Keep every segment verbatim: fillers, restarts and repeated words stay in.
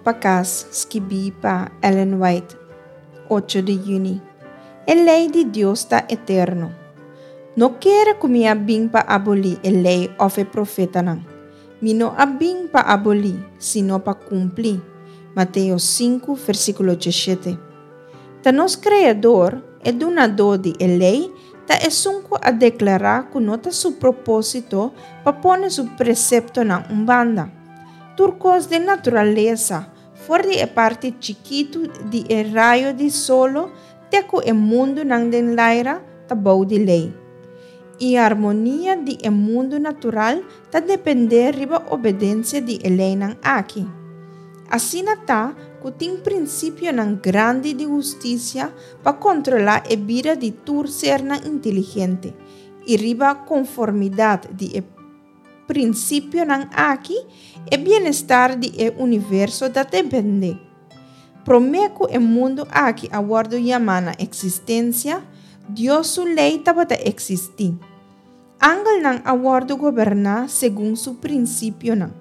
Pa Kas, skibí pa Ellen White, ocho di yüni. E lei di Dios ta eterno. No kere ku mi a bin pa abolí e lei òf e profetanan. Mi no a bin pa abolí, sino pa kumpli. Mateo sinku, versíkulo diesshete. Ta nos Kreador, e Dunadó di e lei, ta esun ku a deklará ku no ta su propósito pa pone su preseptonan un banda. Tur kos den naturalesa, for di e parti chikitu di e rayo di solo te ku e mundunan den laira, ta bou di lei. I harmonia di e mundu natural ta dependé riba obedensia di e leinan aki. Asina ta ku tin prinsipionan grandi di hustisia pa kontrolá e bida di tur sernan inteligente, i riba konformidat di e prinsipionan aki e bienestar di e universo ta dependé. Promé ku e mundu aki a wòrdu yamá na eksistensia, Dios su lei tabata eksistí. Angelnan a wòrdu goberná segun su prinsipionan.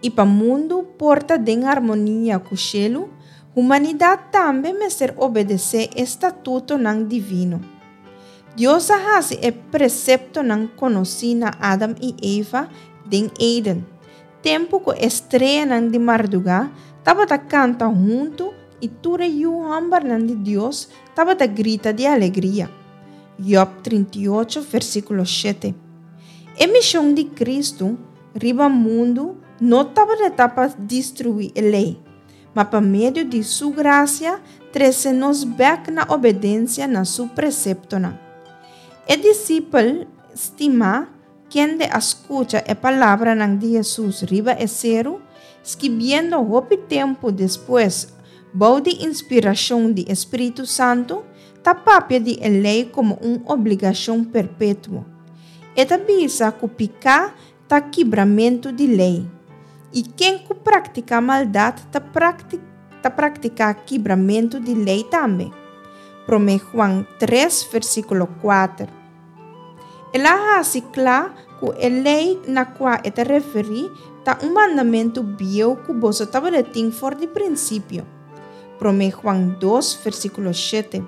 I pa mundu por ta den harmonia ku shelu, humanidat tambe mester obedesé e statutonan divino. Dios a hasi e preseptonan konosí na Adam i Eva den Eden, tempu ku e streanan di mardugá tabata kanta huntu i tur e yu hòmbernan di Dios tabata grita di alegria. Job trinta i ocho, versíkulo shete. E mishon di Kristu riba mundu no tabata pa destruí e lei, ma pa medio di su grasia trese nos bèk na obedensia na su preseptonan. E disipel stimá, kende a skucha e palabranan di Hesus riba e seru, skibiendo hopi tempu despues bou di inspirashon di e Spiritu Santu, ta papia di e lei komo un obligashon perpetuo. E ta bisa ku piká ta kibramentu di lei, i ken ku praktiká maldat ta prakti-, ta praktiká kibramentu di lei tambe. Promé Juan tres, versíkulo kuater. El a hasi kla ku e lei na kua e ta referí ta un mandamentu bieu ku boso tabatin for di prinsipio. Promé Juan dos, versíkulo shete.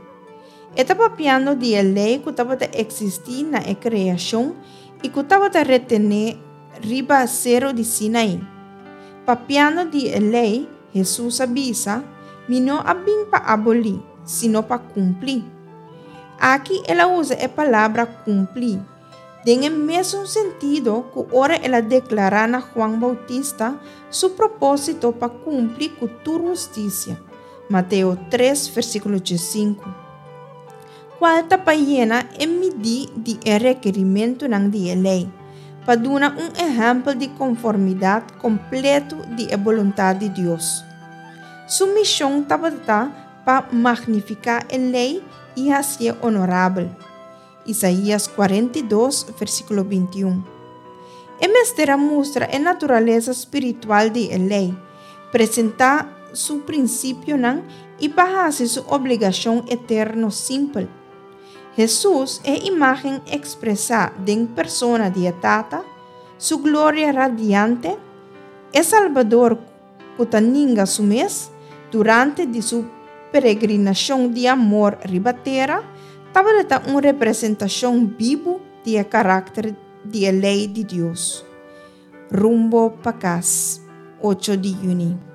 E ta papiando di e lei ku tabata eksistí na e kreashon i ku tabata retené riba seru di Sinai. Papiando di e lei, Hesus a bisa: Mi no a bin pa abolí, sino pa kumpli. Aki el a usa e palabra kumpli, den e mesun sentido ku ora el a deklará na Juan Bautista su propósito pa kumpli ku tur hustisia. Mateo tres, versíkulo sinku. Kual ta pa yena e midí di e rekerimentunan di e lei, pa duna un ehèmpel di konformidat kompleto di e boluntat di Dios. Su mishon tabata pa magnifiká e lei i hasié honorabel. Isaías kuarenta i dos, versíkulo binti i un. E mester a mustra e naturalesa spiritual di e lei, presentá su prinsipionan i pa hasi su obligashon eterno simpel. Hesus, e imágen ekspresá den persona di e Tata, su gloria radiante, e Salbador ku ta ninga su mes durante di su peregrinashon di amor riba tera, tabata un representashon bibu di e karakter di e lei di Dios. Rumbo pa Kas, ocho di yüni.